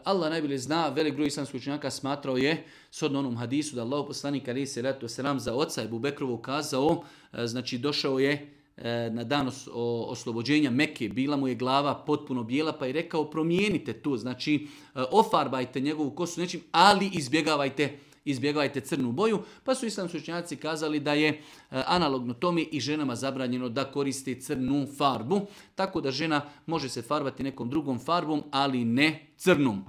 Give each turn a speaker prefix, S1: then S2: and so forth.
S1: Allah najbolje zna, velik broj islamskih učenjaka smatrao je, shodno onom hadisu da Allah poslanik alejhi selatu selam za oca Ebu Bekrovu kazao, znači došao je na dan oslobođenja Mekke, bila mu je glava potpuno bijela, pa je rekao promijenite to, znači ofarbajte njegovu kosu nečim, ali izbjegavajte crnu boju, pa su islamski učenjaci kazali da je analogno tome i ženama zabranjeno da koriste crnu farbu, tako da žena može se farbati nekom drugom farbom, ali ne crnom.